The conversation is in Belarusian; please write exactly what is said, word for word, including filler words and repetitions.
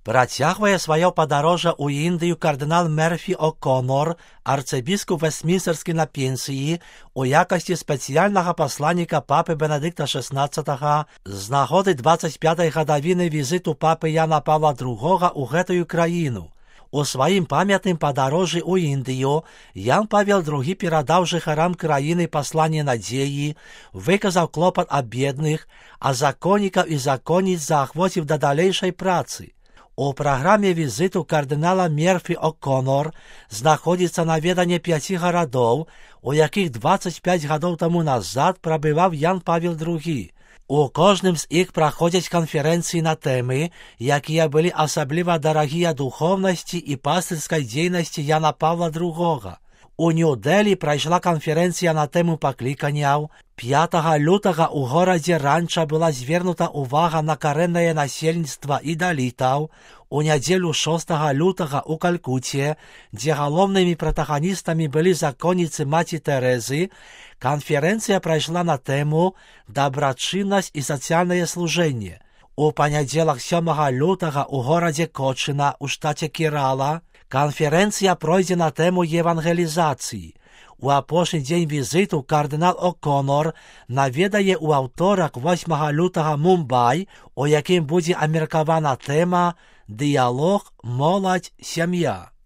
Працягвае сваё падарожжа ў Індыю кардынал Мерфі О'Конор, арцыбіскуп вестмінстерскі на пенсіі, у якасці спецыяльнага пасланніка папы Бенедыкта шаснаццатага з нагоды дваццаць пятай гадавіны візіту папы Яна Павла другога ў гэтую краіну. У сваім памятным падарожжы ў Індыю Ян Павел другі перадаў жыхарам краіны пасланне надзеі, выказаў клопат аб бедных, а законнікаў і законніц заахвоціў да далейшай працы. У праграме візіту кардынала Мерфі О'Конор знаходзіцца наведанне пяці гарадоў, у якіх дваццаць пяць гадоў таму назад прабываў Ян Павел другі. У кожным з іх праходзяць канферэнцыі на тэмы, якія былі асабліва дарагія духоўнасці і пастырскай дзейнасці Яна Павла другога. У Нью-Дэлі прайшла канферэнцыя на тэму пакліканняў. пятага лютага ў горадзе Ранча была звернута ўвага на карэннае насельніцтва і далітаў. У нядзелю шостага лютага ў Калькуце, дзе галоўнымі пратаганістамі былі законніцы маці Тэрэзы, канферэнцыя прайшла на тэму «Дабрачыннасць і сацыяльнае служэнне». У панядзелак сёмага лютага ў горадзе Кочына ў штаце Керала канферэнцыя пройдзе на тэму евангелізацыі. У апошні дзень візіту кардынал О'Конор наведае ў аўторак восьмага лютага Мумбай, у якім будзе абмеркавана тэма «Дыялог, моладзь, сям'я».